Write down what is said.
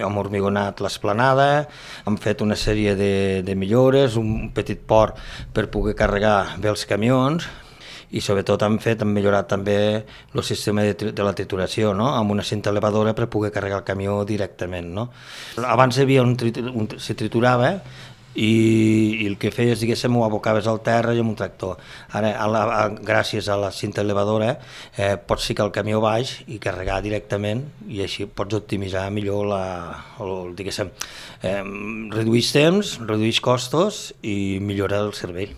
Hem hormigonat l'esplanada, hem fet una sèrie de millores, un petit port per poder carregar bé els camions i sobretot hem millorat també el sistema de la trituració, no? Amb una cinta elevadora per poder carregar el camió directament. No? Abans hi havia se triturava i el que feies, diguéssim, ho abocaves al terra i amb un tractor. Ara, gràcies a la cinta elevadora, pots ficar el camió baix i carregar directament i així pots optimitzar millor diguéssim, redueix temps, redueix costos i millora el servei.